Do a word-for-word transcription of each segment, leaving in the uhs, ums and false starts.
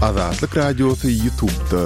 Azatlyk Radiosy YouTube'da.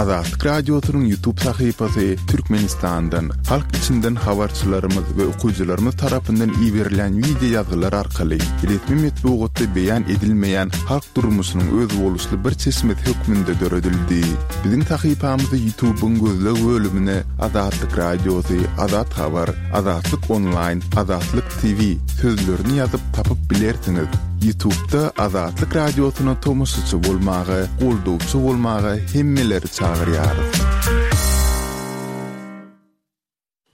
Azatlyk Radiosynyň YouTube sahypasy Türkmenistandan, halk içinden habarçylarymyz we okyjylarymyz tarapyndan iberilen wideo ýazgylar arkaly resmi metbugatda beýan edilmeýän halk durmuşynyň özboluşly bir çeşmesi hökmünde döredildi. Biziň sahypamyzy YouTube'yň gözleg bölümine Azatlyk Radiosy, Azat Habar, Azatlyk Online, Azatlyk T V sözlerini ýazyp tapyp bilersiňiz. YouTube'da Azatlyk Radiosyna tomaşaçy bolmaga, goldawçy bolmaga hemmeleri çagyrýarys.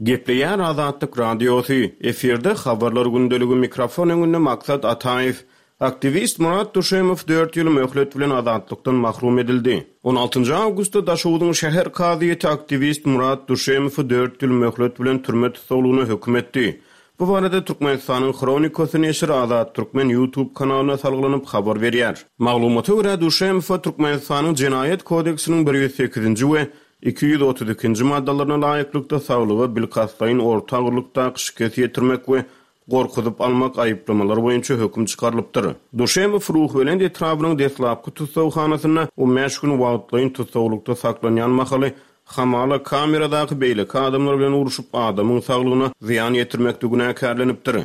Gepleýär Azatlyk Radiosy. Efirde habarlar gündeligi, mikrofon öňünde Maksat Ataýew. Aktiwist Murat Duşemow dört ýyl möhlet bilen azatlykdan mahrum edildi. on altynjy awgustda Daşogzuň şäher kazyýeti aktiwist Murat Duşemowy dört ýyl möhlet bilen türme tussaglygyna höküm etdi. Bu barada Türkmenistanyň Hronikasy neşiri Azat Türkmen YouTube kanalyna salgylanyp habar berýär. Maglumata görä, Duşemowa Türkmenistanyň Jenaýat kodeksiniň bir ýüz sekizinji we iki ýüz otuz ikinji maddalaryna laýyklykda saglyga bilkastlaýyn orta agyrlykdaky şikes ýetirmek we gorkuzyp almak aýyplamalar boýunça höküm çykarylypdyr. Duşemow Ruhubelent etrabynyň deslapky tussaghanasynda on bäş gün wagtlaýyn tussaglykda saklanýan mahaly hamala kameradaky beýleki adamlar bilen uruşyp adamyň saglygyna zyýan ýetirmekde günäkärlenipdir.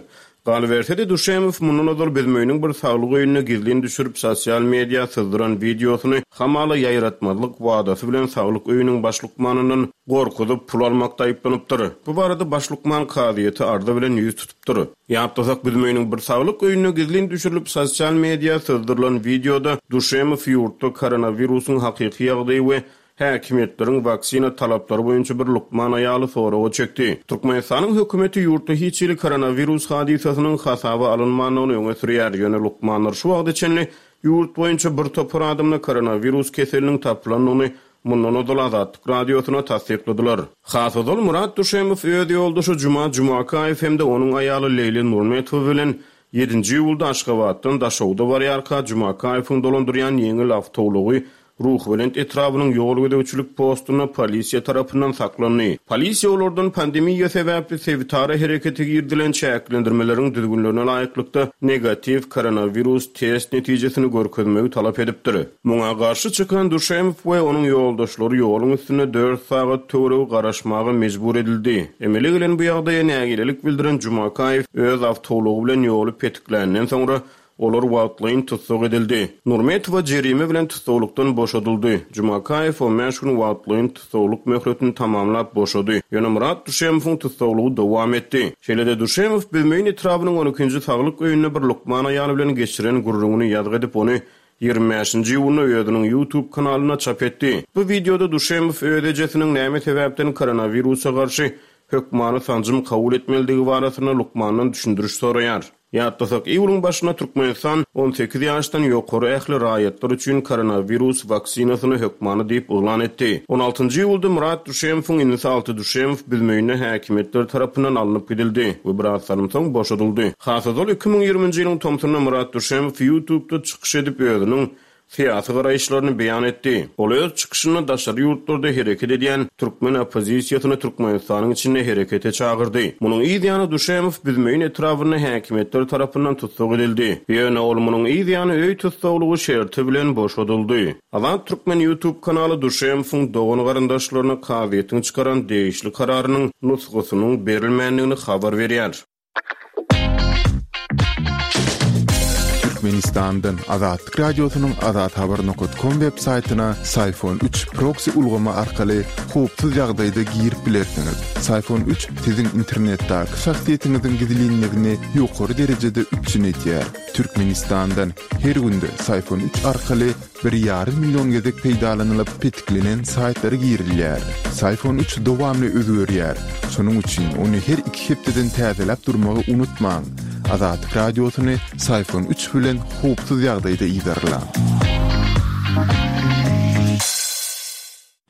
Galyberse-de Duşemow mundan ozal Büzmeýiniň bir saglyk öýünde gizlin düşürip sosial media syzdyran wideosyny hamala ýaýratmazlyk wadasy bilen saglyk öýüniň baş lukmanyndan gorkuzyp pul almakda aýyplanypdyr. Bu barada baş lukman kazyýeti arza bilen ýüz tutupdyr. Ýatlasak, Büzmeýiniň bir saglyk öýünde gizlin düşürilip sosial media syzdyrylan wideoda Duşemow ýurtda koronawirusyň hakyky ýagdaýy we häkimiýetleriň waksina talaplary boýunça bir lukman aýaly soraga çekdi. Türkmenistanyň hökümeti ýurtda hiç hili koronawirus hadysasynyň hasaba alynmandygyny öňe sürýär. Ýöne lukmanlar şu wagta çenli ýurt boýunça bir topar adamda koronawirus keseliniň tapylandygyny mundan ozal Azatlyk Radiosyna tassykladylar. Has ozal Murat Duşemow öz ýoldaşy Juma Jumakaýew hem-de onuň aýaly Leýli Nurmetowa bilen ýedinji iýulda Aşgabatdan Daşoguzda barýarka Jumakaýewiň dolandyrýan ýeňil awtoulagy Ruhubelent etrabynyň ýol gözegçilik postunda polisiýa tarapyndan saklandy. Polisiýa olardan pandemiýa sebäpli sebitara herekete girdilen çäklendirmeleriň düzgünlerine laýyklykda negatiw koronawirus test netijesini görkezmegi talap edipdir. Muňa garşy çykan Duşemow we onuň ýoldaşlary ýoluň üstünde dört sagat töweregi garaşmaga mejbur edildi. Emele gelen bu ýagdaýa nägilelik bildiren Jumakaýew öz awtoulagy bilen ýoly petikländen soňra olar wagtlaýyn tussag edildi. Nurmetowa jerime bilen tussaglykdan boşadyldy. Jumakaýew on bäş gün wagtlaýyn tussaglyk möhletini tamamlap boşady. Ýöne Murat Duşemowyň tussaglygy dowam etdi. Şeýle-de Duşemow Büzmeýin etrabynyň on ikinji saglyk öýünde bir lukman aýaly bilen geçiren gürrüňini ýazgy edip, ony ýigrimi bäşinji iýunda özüniň YouTube kanalyna çap etdi. Bu wideoda Duşemow öz ejesiniň näme sebäpden koronawirusa garşy hökmany sanjym kabul etmelidigi barasynda lukmandan düşündiriş soraýar. Ýatlasak, iýulyň başynda Türkmenistan on sekiz ýaşdan ýokary ähli raýatlar üçin koronawirus waksinasyny hökmany diýip yglan etdi. on altynjy iýulda Murat Duşemowyň inisi Alty Duşemow Büzmeýinde häkimiýetler tarapyndan alnyp gidildi we biraz salym soň boşadyldy. Has ozal iki müň ýigriminji ýylyň tomsunda Murat Duşemow YouTube'da çykyş edip özüniň syýasy garaýyşlaryny beýan etdi. Ol öz çykyşynda daşary ýurtlarda hereket edýän türkmen oppozisiýasyny Türkmenistanyň içinde herekete çagyrdy. Munuň yz ýany Duşemow Büzmeýin etrabynda häkimiýetler tarapyndan tussag edildi. Ýöne ol munuň yz ýany öý tussaglygy şerti bilen boşadyldy. Azat Türkmen YouTube kanaly Duşemowyň dogan garyndaşlaryna kazyýetiň çykaran degişli kararynyň nusgasynyň berilmändigini habar berýär. Türkmenistandan Azatlyk Radiosynyň azathabar nokta com web saýtyna Syfon üç proxy ulgamy arkaly howpsuz ýagdaýda girip bilersiňiz. Syfon üç siziň internetdäki şahsyýetiňiziň gizlinligini ýokary derejede üpjün edýär. Türkmenistandan her günde Syfon üç arkaly bir ýarym million gezek peýdalanylyp petiklenen saýtlara girilýär. Syfon üç dowamly özgerýär. Şonuň üçin ony her iki hepdeden täzeläp durmagy unutmaň. Azatlyk Radiosyny Syfon üç bilen howpsuz ýagdaýda yzarlaň.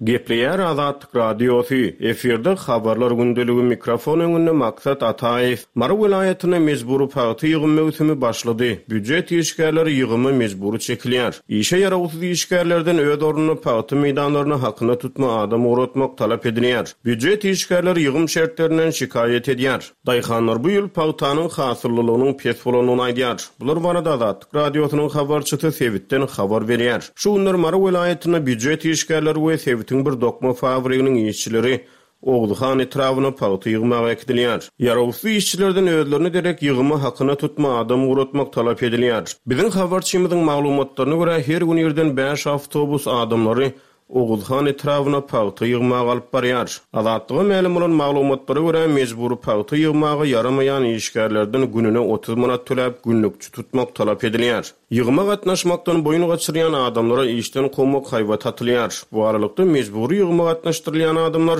Gepleýär Azatlyk Radiosy, efirde Habarlar gündeligi, mikrofon öňünde Maksat Ataýew. Mary welaýatynda mejbury pagta ýygym möwsümi başlady. Býujet işgärleri ýygyma mejbury çekilýär. Işe ýarawsyz işgärlerden öz ornuna pagta meýdanlaryna hakyna tutma adam ugratmak talap edilýär. Býujet işgärleri ýygym şertlerinden şikaýat edýär. Daýhanlar bu ýyl pagtanyň hasyllylygynyň pes bolandygyny aýdýar. Bular barada Azatlyk Radiosynyň habarçysy sebitden habar berýär. Şu günler Mary welaýatynda býujet işgärleri we sebitiň bir dokma fabriginiň işçileri Oguzhan etrabyna pagta ýygmaga äkidilýär. Ýarawsyz işçilerden özlerine derek ýygyma hakyna tutma adam ugratmak talap edilýär. Biziň habarçymyzyň maglumatlaryna görä, her gün irden bäş awtobus adamlary Oguzhan etrabyna pagta ýygmaga alyp barýar. Azatlyga mälim bolan maglumatlara görä, mejbury pagta ýygmaga ýaramaýan işgärlerden gününe otuz manat töläp günlükçi tutmak talap edilýär. Ýygyma gatnaşmakdan boýun gaçyrýan adamlara işden kowmak haýbat atylýar. Bu aralykda mejbury ýygyma gatnaşdyrylýan adamlar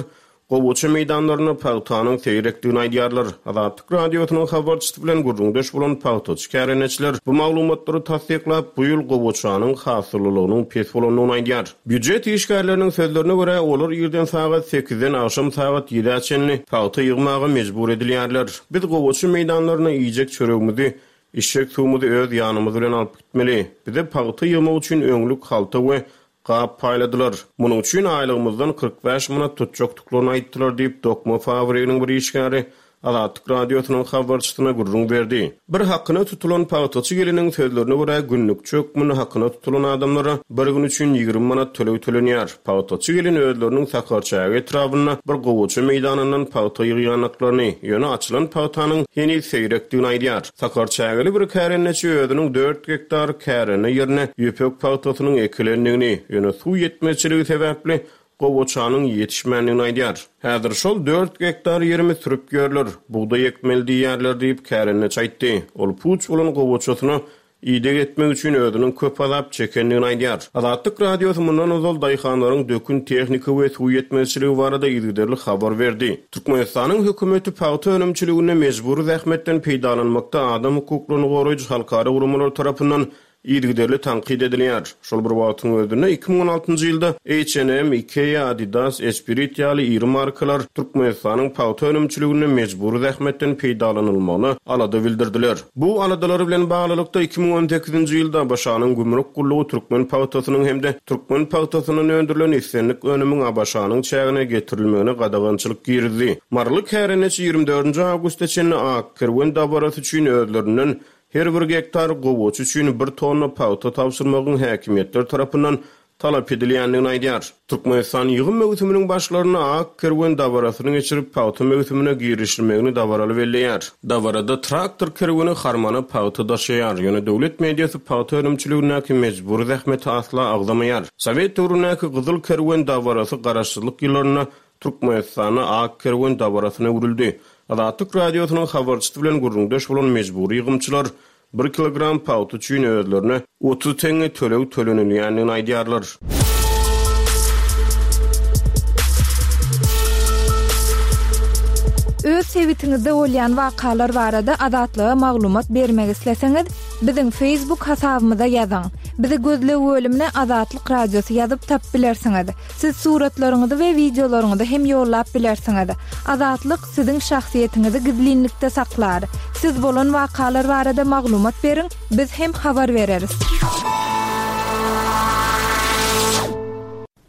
gowaça meýdanlarynda pagtanyň seýrekdigini aýdýarlar. Azatlyk Radiosynyň habarçysy bilen gürrüňdeş bolan pagtaçy kärendeçiler bu maglumatlary tassyklap, bu ýyl gowaçanyň hasyllylygynyň pes bolandygyny aýdýar. Býujet işgärleriniň sözlerine görä, olar irden sagat sekizden agşam sagat ýedä çenli pagta ýygmaga mejbur edilýärler. Biz gowaça meýdanlaryna iýjek çöregimizi, içjek suwumyzy öz ýanymyz bilen alyp gitmeli. Bize pagta ýygmak üçin öňlük halta we gap paýladylar. Munuň üçin aýlygymyzdan kyrk bäş manat tutjakdyklaryny aýtdylar diýip, dokma fabriginiň bir işgäri Azatlyk Radiosynyň habarçysyna gürrüň berdi. Bir hakyna tutulan pagtaçy geliniň sözlerine görä, günlükçi hökmünde hakyna tutulan adamlara bir gün üçin ýigrimi manat töleg tölenýär. Pagtaçy gelin özleriniň Sakarçäge etrabynda bir gowaça meýdanyndan pagta ýygýandyklaryny, ýöne açylan pagtanyň heniz seýrekdigini aýdýar. Sakarçägeli bir kärendeçi özüniň dört gektar kärende ýerine ýüpek pagtasynyň ekilendigini, ýöne suw ýetmezçiligi sebäpli gowaçanyň ýetişmändigini aýdýar. Häzir şol dört gektar ýerimi sürüp ýörler, bugdaý ekmeli diýýärler diýip kärendeçi aýtdy. Ol puç bolan gowaçasyna ideg etmek üçin özüniň köp azap çekendigini aýdýar. Azatlyk Radiosy mundan ozal daýhanlaryň dökün tehnika we suw ýetmezçiligi barada yzygiderli habar berdi. Türkmenistanyň hökümeti pagta önümçiliginde mejbury zähmetden peýdalanmakda adam hukuklaryny goraýjy halkara guramalar tarapyndan yzygiderli tankyt edilýär. Şol bir wagtyň özünde iki müň on altynjy ýylda H and M, Ikea, Adidas, Esprit ýaly iri markalar Türkmenistanyň pagta önümçiliginde mejbury zähmetden peýdalanylmagyna alada bildirdiler. Bu aladalar bilen baglylykda iki müň on sekizinji ýylda A B Ş-nyň gümrük gullugy türkmen pagtasynyň hem-de türkmen pagtasyndan öndürilen islendik önümiň A B Ş-nyň çägine getirilmegine gadagançylyk girizdi. Maryly kärendeçi ýigrimi dördünji awgusta çenli Ak kerwen dabarasy üçin özlerinden her bir gektar gowaça üçin bir tonna pagta tabşyrmagyň häkimiýetler tarapyndan talap edilýändigini aýdýar. Türkmenistan ýygym möwsüminiň başlarynda Ak kerwen dabarasyny geçirip, pagta möwsümine girişilmegini dabaraly belleýär. Dabarada traktor kerweni harmana pagta daşaýar, ýöne döwlet mediasy pagta önümçiligindäki mejbury zähmeti asla agzamaýar. Sowet döwründäki Gyzyl kerwen dabarasy garaşsyzlyk ýyllarynda Türkmenistanda Ak kerwen dabarasyna öwrüldi. Azatlyk Radiosynyň habarçysy bilen gürrüňdeş bolan mejbury ýygymçylar bir kilogram pagta üçin özlerine otuz teňňe töleg tölenilýändigini aýdýarlar. Öz sebitiňizde bolýan wakalar barada Azatlyga maglumat bermek isleseňiz, biziň Facebook hasabymyza ýazyň. Bizi gözleg bölümine Azatlyk Radiosy ýazyp tap bilersiňiz. Siz suratlaryňyzy we wideolaryňyzy hem ýollap bilersiňiz. Azatlyk siziň şahsyýetiňizi gizlinlikde saklar. Siz bolan wakalar barada maglumat beriň, biz hem habar bereris.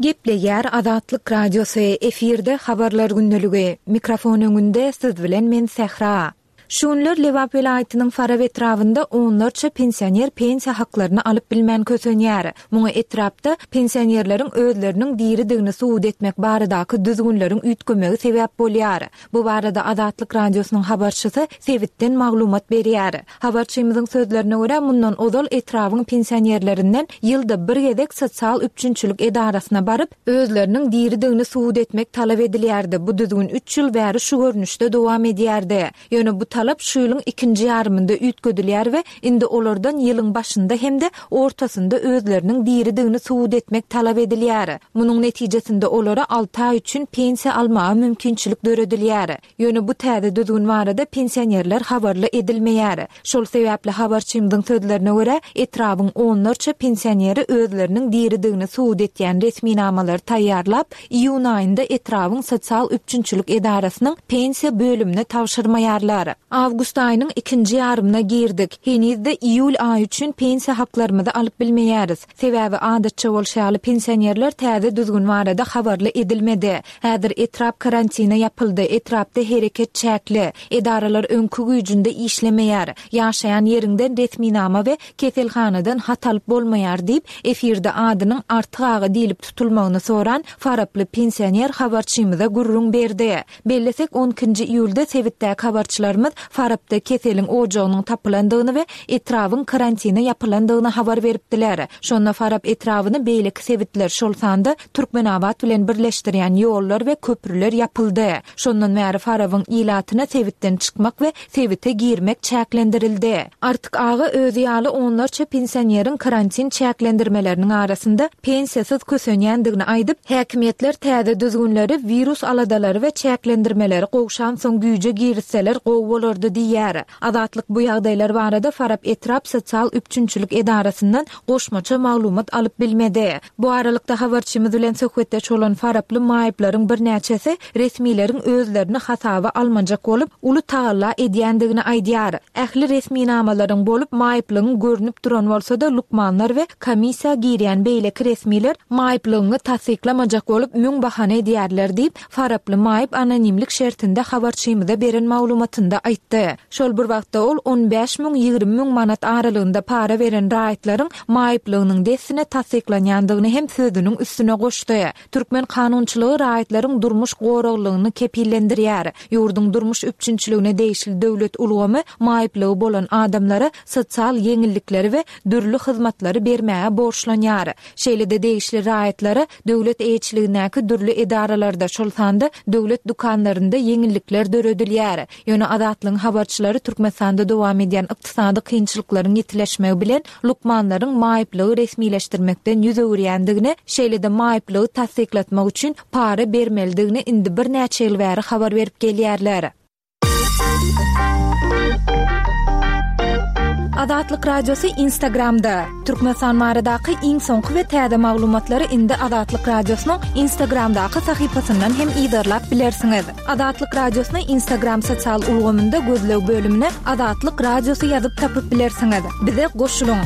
Gepleýär Azatlyk Radiosy, efirde habarlar gündeligi. Mikrofon öňünde siz bilen men Sähra. Şu günler Lebap welaýatynyň Farap etrabynda onlarça pensioner pensiýa haklaryny alyp bilmän kösenýär. Muňa etrapda pensionerleriň özleriniň diridigini subut etmek baradaky düzgünleriň üýtgemegi sebäp bolýar. Bu barada Azatlyk Radiosynyň habarçysy sebitden maglumat berýär. Habarçymyzyň sözlerine görä, mundan ozal etrabyň pensionerlerinden ýylda bir gezek sosial üpjünçilik edarasyna baryp, özleriniň diridigini subut etmek talap edilýärdi. Bu düzgün üç ýyl bäri şu görnüşde dowam edýärdi. Ýöne bu talap şu ýylyň ikinji ýarymynda üýtgedilýär we indi olardan ýylyň başynda hem-de ortasynda özleriniň diridigini subut etmek talap edilýär. Munuň netijesinde olara alty aý üçin pensiýa almaga mümkinçilik döredilýär. Ýöne bu täze düzgün barada pensionerler habarly edilmeýär. Şol sebäpli habarçymyzyň sözlerine görä, etrabyň onlarça pensioneri özleriniň diridigini subut etýän resminamalary taýýarlap, iýun aýynda etrabyň sosial üpjünçilik edarasynyň pensiýa bölümine tabşyrmaýarlar. Awgust aýynyň ikinji ýarymyna girdik. Henizde iýul aýy üçin pensiýa haklarymyzy alyp bilmeýäris. Sebäbi adatça bolşy ýaly pensionerler täze düzgün barada habarly edilmedi. Häzir etrap karantina ýapyldy, etrapda hereket çäkli, edaralar öňki güýjünde işlemeýär. Ýaşaýan ýeriňden resminama we keselhanadan hat alyp bolmaýar diýip, efirde adynyň Artyk aga diýlip tutulmagyny soran faraply pensioner habarçymyza gürrüň berdi. Bellesek, on ikinji iýulda sebitdäki habarçylarymyz Farapda keseliň ojagynyň tapylandygyny we etrabyň karantina ýapylandygyny habar beripdiler. Şonda Farap etrabyny beýleki sebitler, şol sanda Türkmenabat bilen birleşdirýän ýollar we köprüler ýapyldy. Şondan bäri Farabyň ilatyna sebitden çykmak we sebite girmek çäklendirildi. Artyk aga özi ýaly onlarça pensioneriň karantin çäklendirmeleriniň arasynda pensiýasyz kösenýändigini aýdyp, häkimiýetler täze düzgünleri, wirus aladalary we çäklendirmeleri gowşansoň güýje girizseler gowy bolardy diýýär. Azatlyk bu ýagdaýlar barada Farap etrap sosial üpjünçilik edarasyndan goşmaça maglumat alyp bilmedi. Bu aralykda habarçymyz bilen söhbetdeş bolan faraply maýyplaryň birnäçesi resmileriň özlerini hasaba almajak bolup, uly tagalla edýändigini aýdýar. Ähli resminamalaryň bolup maýyplygyň görnüp duran bolsa-da lukmanlar we komissiýa girýän beýleki resmiler maýyplygyňy tassyklamajak bolup müň bahana edýärler diýip, faraply maýyp anonimlik şertinde habarçymyza beren maglumatynda aýtdy. Şol bir wagtda ol on bäş müň ýigrimi müň manat aralygynda para beren raýatlaryň maýyplygynyň dessine tassyklanýandygyny hem sözüniň üstüne goşdy. Türkmen kanunçylygy raýatlaryň durmuş goraglygyny kepillendirýär. Ýurduň durmuş üpjünçiligine degişli döwlet ulgamy maýyplygy bolan adamlara sosial ýeňillikleri we dürli hyzmatlary bermäge borçlanýar. Şeýle-de degişli raýatlara döwlet eýeçiligindäki dürli edaralarda, şol sanda döwlet dükanlarynda ýeňillikler döredilýär. Ýöne Azatlygyň habarçylary Türkmenistanda dowam edýän ykdysady kynçylyklaryň ýetileşmegi bilen lukmanlaryň maýyplygy resmileşdirmekden ýüz öwürýändigini, şeýle-de maýyplygy tassyklatmak üçin para bermelidigini indi birnäçe ýyl bäri habar berip gelýärler. Azatlyk Radiosy Instagramda. Türkmenistan baradaky iň soňky we täze maglumatlary indi Azatlyk Radiosynyň Instagramdaky sahypasyndan hem yzarlap bilersiňiz. Azatlyk Radiosyny Instagram sosial ulgamynda gözleg bölümine Azatlyk Radiosy ýazyp tapyp bilersiňiz. Bize goşulyň.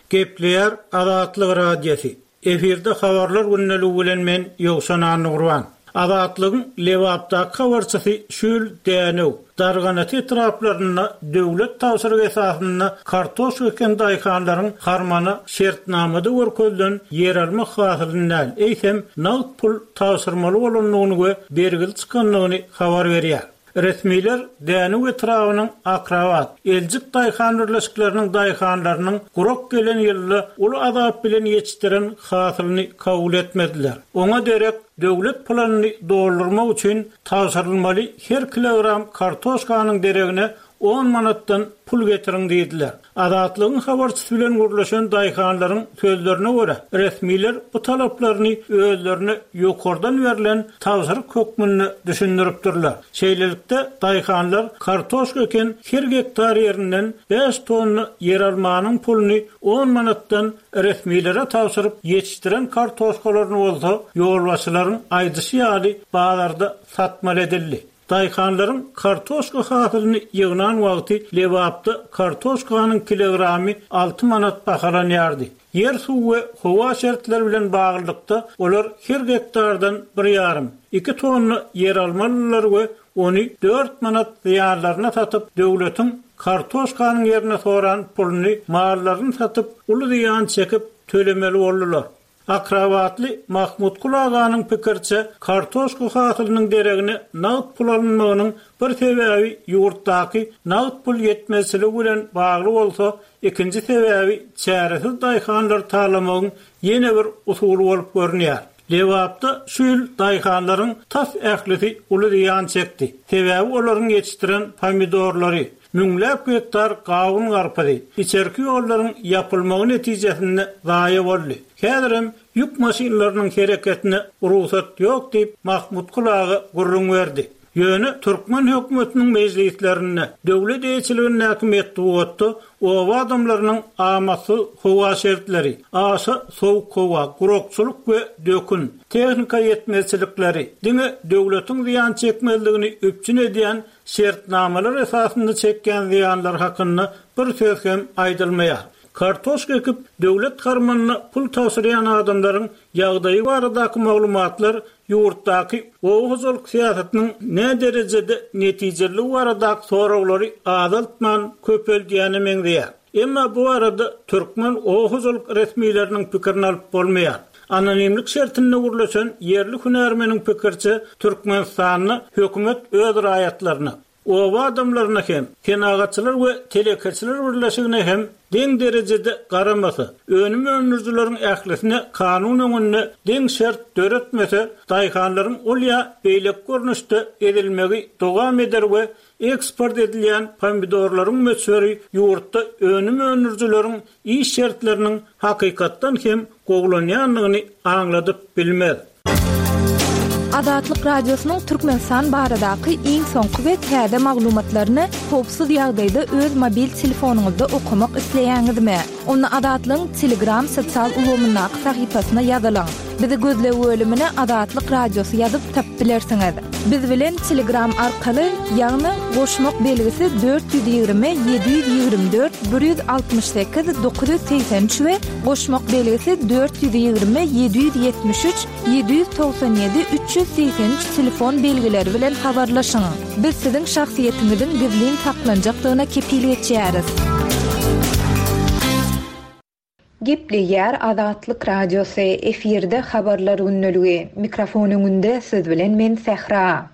Gepleýär Azatlyk Radiosy. Efirde habarlar gündeligi bilen men Ýowşan Annagurban. Azatlygyň Lebapdaky habarçysy şu ýyl Dänew, Darganat etraplarynda döwlet tabşyrygy esasynda kartoşka eken daýhanlaryň harmana şertnamada görkezilen ýer almak hasylyny däl, eýsem nagt pul tabşyrmaly bolandygyny we bergili çykandygyny habar berýär. Resmiler Dänew etrabynyň Akrabat, Eljik daýhan birleşikleriniň daýhanlarynyň gurak gelen ýylda uly azap bilen ýetişdiren hasylyny kabul etmediler. Oňa derek döwlet planyny doldurmak üçin tabşyrylmaly her kilogram kartoşkanyň deregine on manatdan pul getiriň diýdiler. Azatlygyň habarçysy bilen gürleşen daýhanlaryň sözlerine görä, resmiler bu talaplaryny özlerine ýokardan berlen tabşyryk hökmünde düşündiripdirler. Şeýlelikde daýhanlar kartoşka eken her gektar ýerinden bäş tonna ýer almanyň puluny on manatdan resmilere tabşyryp ýetişdiren kartoşkalaryny bolsa ýolbaşçylaryň aýdyşy ýaly bazarda satmaly edildi. Daýhanlaryň kartoşka hasylyny ýygnan wagty Lebapda kartoşkanyň kilogramy alty manat bahalanýardy. Ýer suw we howa şertleri bilen baglylykda olar her gektardan bir ýarym, iki tonna ýer almalylar we ony dört manat zyýanlaryna satyp, döwletiň kartoşkanyň ýerine soran puluny mallaryny satyp, uly zyýan çekip tölemeli boldular. Akrabatly Mahmut Kulaganyň pikirçe kartoşka hasylynyň deregine nagt pul alynmagynyň bir sebäbi ýurtdaky nagt pul ýetmezçiligi bilen bagly bolsa, ikinji sebäbi çäresiz daýhanlar talamagyň ýene bir usuly bolup görünýär. Lebapda şu ýyl daýhanlaryň tas ählisi uly zyýan çekdi. Sebäbi olaryň ýetişdiren pomidorlary, müňläp gektar gawun garpyzy, içerki ýollaryň ýapylmagy netijesinde zaýa boldy. Häzirem ýük maşynlarynyň hereketine rugsat ýok diýip Mahmut aga gürrüň berdi. Ýöne türkmen hökümetiniň mejlislerinde döwlet eýeçiligindäki metbugatda oba adamlarynyň amatsyz howa şertleri, aşa sowuk howa, gurakçylyk we dökün, tehnika ýetmezçilikleri diňe döwletiň zyýan çekmezligini üpjün edýän şertnamalar esasynda çekýän zyýanlar hakynda bir söz hem aýdylmaýar. Kartoşka ekip döwlet harmanyna pul tabşyrýan adamlaryň ýagdaýy baradaky maglumatlar ýurtdaky oba hojalyk syýasatynyň nä derejede netijeliligi baradaky soraglary azaltman köpeldýäne meňzeýär. Emma bu arada türkmen oba hojalyk resmileriniň pikirini alyp bolmaýar. Anonimlik şertinde gürleşen ýerli hünärmeniň pikirçe Türkmenistanda hökümet öz raýatlaryna, oba adamlaryna hem, senagatçylar we telekeçiler birleşigine hem deň derejede garamasa, önüm öndürijileriň ählisine kanun öňünde deň şert döretmese, daýhanlaryň ol ýa beýleki görnüşde edilmegi dowam eder we eksport edilýän pomidorlaryň möçberi ýurtda önüm öndürijileriň iş şertleriniň hakykatdan hem gowulanýandygyny aňladyp bilmez. Azatlyk Radiosynyň Türkmenistan baradaky iň soňky we täze maglumatlaryny howpsuz ýagdaýda öz mobil telefonyňyzda okamak isleýäňizmi? Onda Azatlygyň Telegram sosial ulgamyndaky sahypasyna ýazylyň. Bizi gözleg bölümine Azatlyk Radiosy ýazyp tapyp bilersiňiz. Biz bilen Telegram arkaly, ýagny goşmak belgisi dört ýüz ýigrimi ýedi ýüz ýigrimi dört bir ýüz altmyş sekiz dokuz ýüz segsen üç we goşmak belgisi dört ýüz ýigrimi ýedi ýüz ýetmiş üç ýedi ýüz togsan ýedi üç ýüz segsen üç telefon belgileri bilen habarlaşyň. Biz siziň şahsyýetiňiziň gizlin saklanjakdygyna kepil geçýäris. Gepleýär Azatlyk Radiosy, efirde habarlar gündeligi. Mikrofon öňünde siz bilen men Sähra.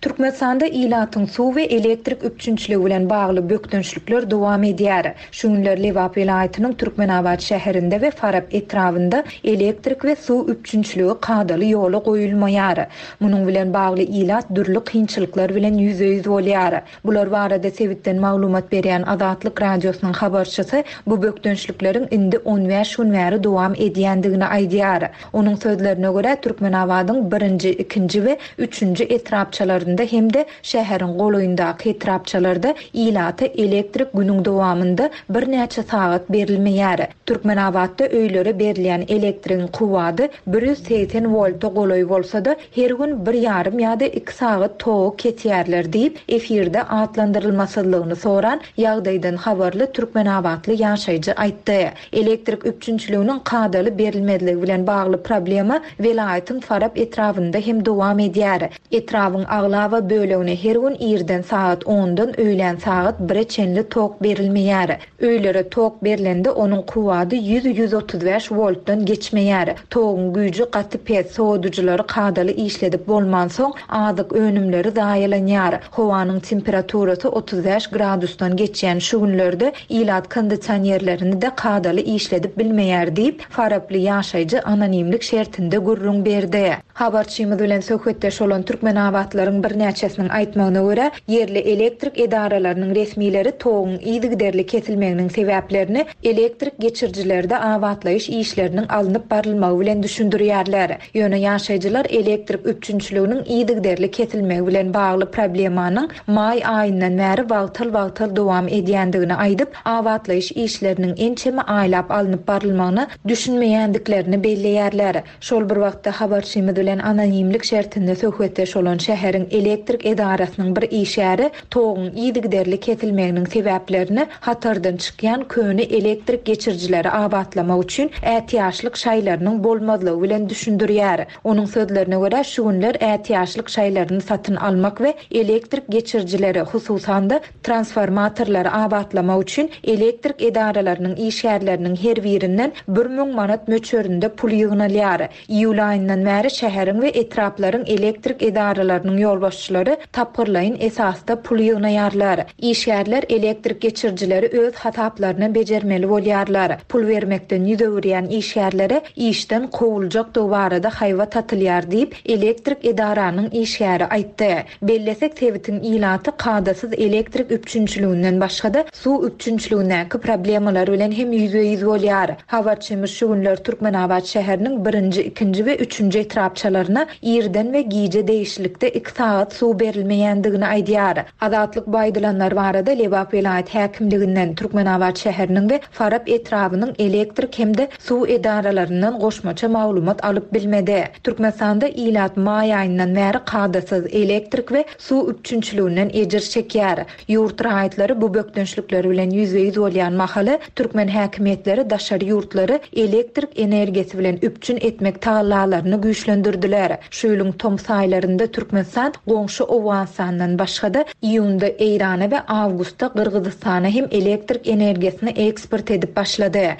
Türkmenistanda ilatyň suw we elektrik üpjünçiligi bilen bagly bökdençlikler dowam edýär. Şu günler Lebap welaýatynyň Türkmenabat şäherinde we Farap etrabynda elektrik we suw üpjünçiligi kadaly ýola goýulmaýar. Munuň bilen bagly ilat dürli kynçylyklar bilen ýüzbe-ýüz bolýar. Bular barada sebitden maglumat berýän Azatlyk Radiosynyň habarçysy bu bökdençlikleriň indi on bäş gün bäri dowam edýändigini aýdýar. Onuň sözlerine görä Türkmenabadyň birinji, ikinji we üçünji etrapçalarynda hem-de şäheriň golaýyndaky etrapçalarda ilata elektrik günüň dowamynda birnäçe sagat berilmeýär. Türkmenabatda öýlere berilýän elektrigiň kuwwady bir ýüz segsen wolta golaý bolsa-da, her gün bir ýarym ýa-da iki sagat togy kesýärler diýip, efirde atlandyrylmasyzlygyny soran ýagdaýdan habarly Türkmenabatly ýaşaýjy aýtdy. Elektrik üpjünçiliginiň kadaly berilmezligi bilen bagly problema welaýatyň Farap etrabynda hem dowam edýär. Etrabyň aglaba bölegine her gün irden sagat ondan öýlän sagat bire çenli tok berilmeýär. Öýlere tok berilende onuň kuwwady ýüz ýüz otuz bäş woltdan geçmeýär. Toguň güýji gaty pes, sowadyjylary kadaly işledip bolmansoň azyk önümleri zaýalanýar. Howanyň temperaturasy otuz bäş gradusdan geçýän şu günlerde ilat kondisionerlerini de kadaly işledip bilmeýär diýip, Faraply ýaşaýjy anonimlik şertinde gürrüň berdi. Habarçymyz bilen söhbetdeş bolan Türkmenabatlaryň birnäçesiniň aýtmagyna görä, ýerli elektrik edaralarynyň resmileri toguň yzygiderli kesilmeginiň sebäplerini elektrik geçirijilerde abatlaýyş işleriniň alnyp barylmagy bilen düşündirýärler. Ýöne ýaşaýjylar elektrik üpjünçiliginiň yzygiderli kesilmegi bilen bagly problemanyň maý aýyndan bäri wagtal-wagtal dowam edýändigini aýdyp, abatlaýyş işleriniň ençeme aýlap alnyp barylmagyna düşünmeýändiklerini belleýärler. Şol bir wagtda habarçymyz bilen anonimlik şertinde söhbetdeş bolan şäheriň elektrik edarasynyň bir işgäri toguň yzygiderli kesilmeginiň sebäplerini hatardan çykýan köne elektrik geçirijileri abatlamak üçin ätiýaçlyk şaýlarynyň bolmazlygy bilen düşündirýär. Onuň sözlerine görä şu günler ätiýaçlyk şaýlaryny satyn almak we elektrik geçirijileri, hususan-da transformatorlary abatlamak üçin elektrik edaralarynyň işgärleriniň her birinden bir müň manat möçberinde pul ýygnalýar. Iýul aýyndan bäri şäheriň Şäheriň we etraplaryň elektrik edaralarynyň ýolbaşçylary tapgyrlaýyn esasda pul ýygnaýarlar. Işgärler elektrik geçirijileri öz hasaplaryna bejermeli bolýarlar. Pul bermekden ýüz öwürýän işgärlere işden kowuljakdygy barada haýbat atylýar diýip, elektrik edaranyň işgäri aýtdy. Bellesek sebitiň ilaty kadasyz elektrik üpjünçiliginden başga-da suw üpjünçiligindäki problemalar bilen hem ýüzbe-ýüz bolýar. Habarçymyz şu günler Türkmenabat şäheriniň birinji, ikinji we üçünji etrapçalaryna irden we gije degişlilikde iki sagat suw berilmeýändigini aýdýar. Azatlyk bu aýdylanlar barada Lebap welaýat häkimliginden, Türkmenabat şäheriniň we Farap etrabynyň elektrik hem-de suw edaralaryndan goşmaça maglumat alyp bilmedi. Türkmenistanda ilat maý aýyndan bäri kadasyz elektrik we suw üpjünçiliginden ejir çekýär. Ýurt raýatlary bu bökdençlikleri bilen ýüzbe-ýüz bolýan mahaly türkmen häkimiýetleri daşary ýurtlary elektrik energiýasy bilen üpjün etmek tagallalaryny güýçlendirdiler. Şu ýylyň tomus aýlarynda Türkmenistan goňşy Owganystandan başga-da iýunda Eýrana we awgustda Gyrgyzystana hem elektrik energiýasyny eksport edip başlady.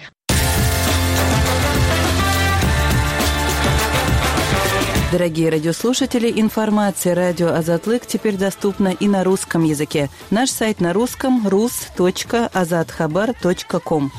Дорогие радиослушатели, информация радио Азатлык теперь доступна и на русском языке. Наш сайт на русском rus точка azathabar точка ком.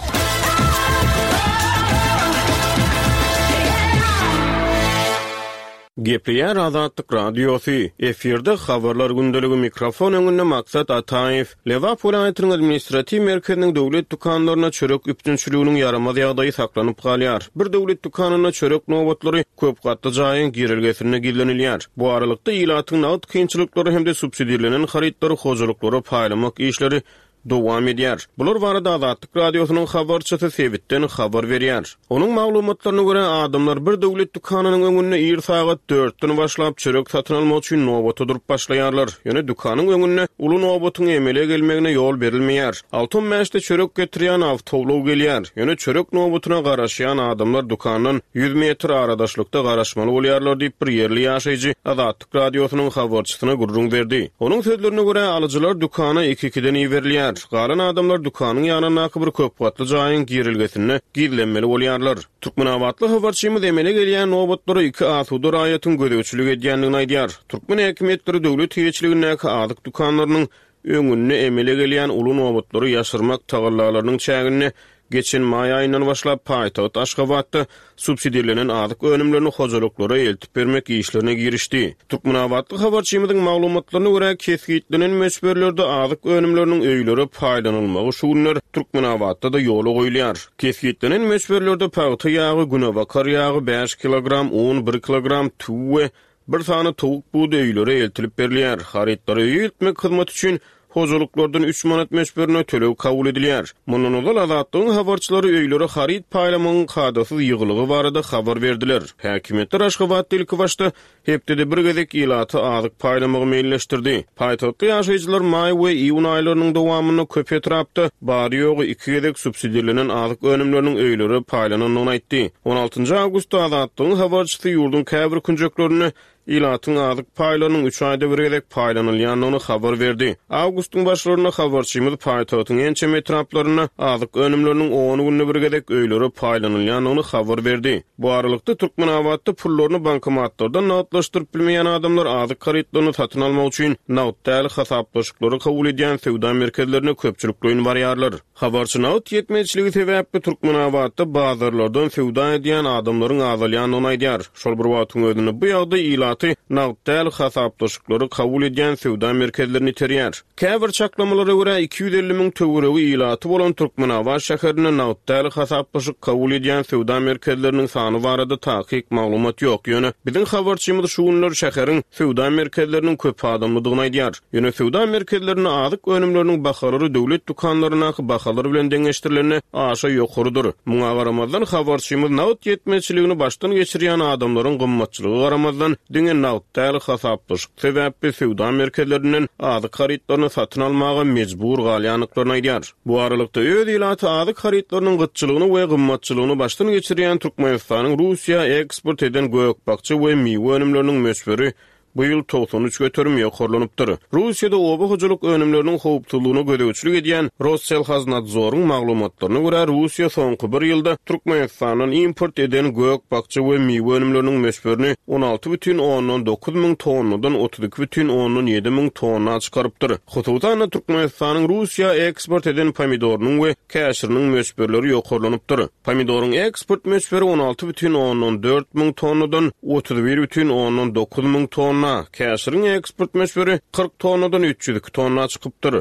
Gepleýär Azatlyk Radiosy, efirde habarlar gündeligi mikrofon öňünde Maksat Ataýew. Lebap welaýatynyň administratiw merkeziniň döwlet dükanlaryna çörek üpjünçiliginiň ýaramaz ýagdaýy saklanyp galýar. Bir döwlet dükanynda çörek nobatlary köp gatly jaýyň girelgesinde gizlenilýär. Bu aralykda ilatyň nagt kynçylyklary hem-de subsidirlenen harytlary hojalyklara paýlamak işleri dowam edýär. Bular barada Azatlyk Radiosynyň habarçysy sebitden habar berýär. Onuň maglumatlaryna görä adamlar bir döwlet dükanynyň öňünde ir sagat dörtden başlap çörek satyn almak üçin nobata durup başlaýarlar. Ýöne dükanyň öňünde uly nobatyň emele gelmegine ýol berilmeýär. Altı on bäşde çörek getirýän awtoulag gelýär. Ýöne çörek nobatyna garaşýan adamlar dükandan ýüz metr aradaşlykda garaşmaly bolýarlar diýip bir ýerli ýaşaýjy Azatlyk Radiosynyň habarçysyna gürrüň berdi. Onuň sözlerine görä alyjylar dükana iki-ikiden iberilýär. Galan adamlar dükanyň ýanyndaky bir köp gatly jaýyň girilgesinde gizlenmeli bolýarlar. Türkmenabatly habarçymyz emele gelýän nobatlara iki asuda raýatyň gözegçilik edýändigini aýdýar. Türkmen häkimiýetleri döwlet eýeçiligindäki azyk dükanlarynyň öňünde emele gelýän uly nobatlary ýaşyrmak tagallalarynyň çäginde geçen maý aýyndan başlap paýtagt Aşgabatda subsidirlenen azyk önümlerini hojalyklara eltip bermek işlerine girişdi. Türkmenabatly habarçymyzyň maglumatlaryna görä kesgitlenen möçberlerde azyk önümleriniň öýlere paýlanylmagy şu günler Türkmenabatda da ýola goýulýar. Kesgitlenen möçberlerde pagta ýagy, günebakar ýagy bäş kilogram, un bir kilogram, tüw we bir sany towuk budy öýlere eltilip berilýär. Harytlary öýe eltmek hyzmaty üçin hojalyklardan üç manat möçberine töleg kabul edilýär. Mundan ozal Azatlygyň habarçylary öýlere haryt paýlamagyň kadasyz ýygylygy barada habar berdiler. Häkimiýetler Aşgabatda ilki başda hepdede bir gezek ilaty azyk paýlamagy meýilleşdirdi. Paýtagtly ýaşaýjylar maý we iýun aýlarynyň dowamynda köp etrapda bary-ýogy iki gezek subsidirlenen azyk önümleriniň öýlere paýlanandygyny aýtdy. on altynjy awgustda Azatlygyň habarçysy ýurduň käbir künjeklerinde ilatyň azyk paýlarynyň üç aýda bir gezek paýlanylýandygyny habar berdi. Awgustyň başlarynda habarçymyz paýtagtyň ençeme etraplarynda azyk önümleriniň on günde bir gezek öýlere paýlanylýandygyny habar berdi. Bu aralykda Türkmenabatda pullaryny bankomatlardan nagtlaşdyryp bilmeýän adamlar azyk harytlaryny satyn almak üçin nagt däl hasaplaşyklary kabul edýän söwda merkezlerine köpçülikleýin barýarlar. Habarçy nagt ýetmezçiligi sebäpli Türkmenabatda bazarlardan söwda edýän adamlaryň azalýandygyny aýdýar. Şol bir wagtyň özünde bu ýagdaý ilaty nagt däl hasaplaşyklary kabul edýän söwda merkezlerini iterýär. Käbir çaklamalara görä iki ýüz elli müň töweregi ilaty bolan Türkmenabat şäherinde nagt däl hasaplaşyk kabul edýän söwda merkezleriniň sany barada takyk maglumat ýok. Ýöne biziň habarçymyz şu günler şäheriň söwda merkezleriniň köp adamlydygyny aýdýar. Ýöne söwda merkezlerinde azyk önümleriniň bahalary döwlet dükanlaryndaky bahalar bilen deňeşdirilende aşa ýokarydyr. Muňa garamazdan habarçymyz nagt ýetmezçiligini başdan geçirýän adamlaryň gymmatçylygy garamazdan diňe nagt däl hasaplaşyk sebäpli söwda merkezlerinden azyk harytlaryny satyn almaga mejbur galýandyklaryny aýdýar. Bu aralykda öz ilaty azyk harytlarynyň gytçylygyny we gymmatçylygyny başdan geçirýän Türkmenistanyň Russiýa eksport eden gök-bakja we miwe önümleriniň möçberi bu ýyl togsan üç göterim ýokarlanypdyr. Russiýada oba hojalyk önümleriniň howpsuzlygyna gözegçilik edýän Rosselhoznadzoryň maglumatlaryna görä, Russiýa soňky bir ýylda Türkmenistandan import eden gök-bakja we miwe önümleriniň möçberini on alty bütin ondan dokuz müň tonnadan otuz iki bütin ondan ýedi müň tonna çykarypdyr. Hususan-da, Türkmenistanyň Russiýa eksport eden pomidorynyň we käşiriniň möçberleri ýokarlanypdyr. Pomidoryň eksport möçberi on alty bütin ondan dört müň tonnadan otuz bir bütin ondan dokuz müň tonna, käşiriň eksport möçberi kyrk tonnadan üç ýüz iki tonna çykypdyr.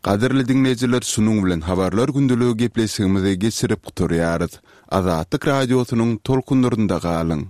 Gadyrly diňleýjiler, şunuň bilen habarlar gündeligi gepleşigimizi geçirip gutarýarys. Azatlyk radiosynyň tolkunlarynda galyň.